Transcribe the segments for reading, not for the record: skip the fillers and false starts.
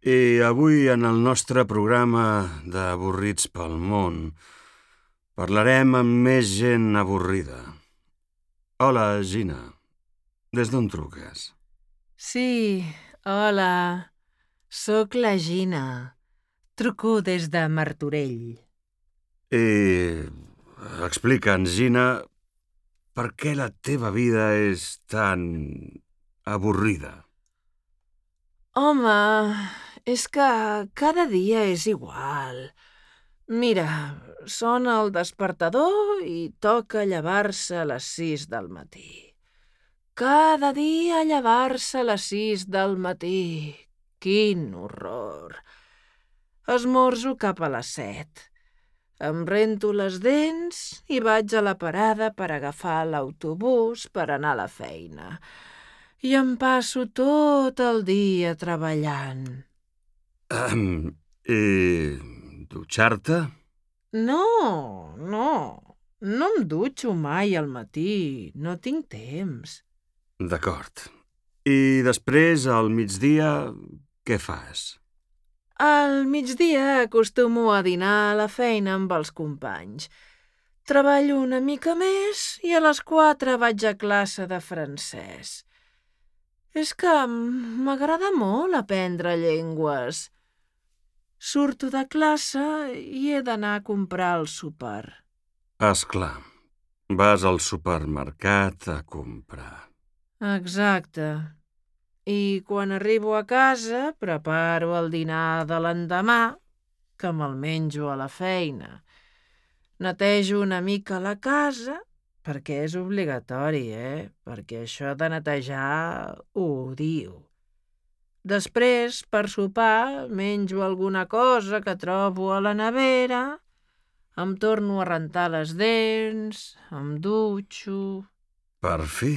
I avui, en el nostre programa d'Avorrits pel món, parlarem amb més gent avorrida. Hola, Gina. Des d'on truques? Sí, hola. Soc la Gina. Truco des de Martorell. I explica'ns, Gina, per què la teva vida és tan avorrida? Home, és que cada dia és igual. Mira, sona el despertador i toca llevar-se a les 6 del matí. Cada dia llevar-se a les 6 del matí. Quin horror. Esmorzo cap a les 7. Em rento les dents i vaig a la parada per agafar l'autobús per anar a la feina. I em passo tot el dia treballant. I dutxar-te? No. No em dutxo mai al matí. No tinc temps. D'acord. I després, al migdia, què fas? Al migdia acostumo a dinar a la feina amb els companys. Treballo una mica més i a les 4 vaig a classe de francès. És que m'agrada molt aprendre llengües. Surto de classe i he d'anar a comprar el sopar. És clar, vas al supermercat a comprar. Exacte. I quan arribo a casa preparo el dinar de l'endemà, que me'l menjo a la feina. Netejo una mica la casa, perquè és obligatori, perquè això de netejar ho odio. Després, per sopar, menjo alguna cosa que trobo a la nevera, em torno a rentar les dents, em dutxo... Per fi?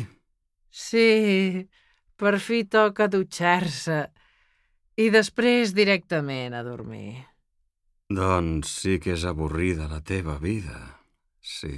Sí, per fi toca dutxar-se i després directament a dormir. Doncs sí que és avorrida la teva vida, sí.